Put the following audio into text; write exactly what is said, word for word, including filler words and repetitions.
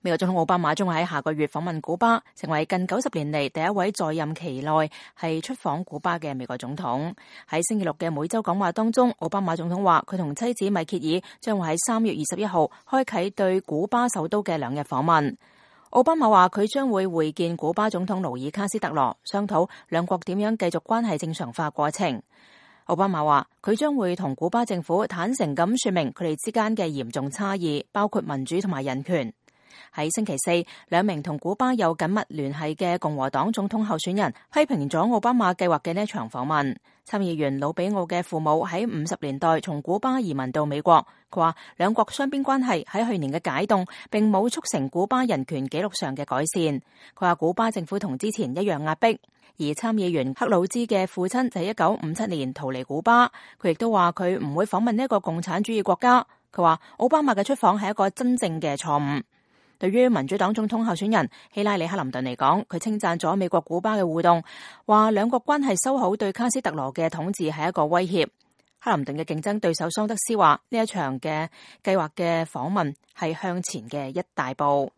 美國總統奧巴馬將會喺下個月訪問古巴，成為近九十年嚟第一位在任期內係出訪古巴嘅美國總統。喺星期六嘅每週講話當中，奧巴馬總統話佢同妻子米歇爾將會喺三月二十一號開啟對古巴首都嘅兩日訪問。奧巴馬話佢將會會見古巴總統盧爾卡斯特羅，商討兩國點樣繼續關係正常化過程。奧巴馬話佢將會同古巴政府坦誠咁說明佢哋之間嘅嚴重差異，包括民主同埋人權。喺星期四，兩名同古巴有緊密聯繫嘅共和黨總統候選人批評咗奧巴馬計劃嘅呢一場訪問。參議員魯比奧嘅父母喺五十年代從古巴移民到美國，佢話兩國雙邊關係喺去年嘅解凍並冇促成古巴人權紀錄上嘅改善。佢話古巴政府同之前一樣壓迫。而參議員克魯茲嘅父親就喺一九五七年逃離古巴，佢亦都話佢唔會訪問呢一個共產主義國家。佢話奧巴馬嘅出訪係一個真正嘅錯誤。對於民主黨總統候選人希拉里克林頓嚟講，佢稱讚咗美國古巴嘅互動，話兩國關係修好對卡斯特羅嘅統治係一個威脅。克林頓嘅競爭對手桑德斯話呢一場嘅計劃嘅訪問係向前嘅一大步。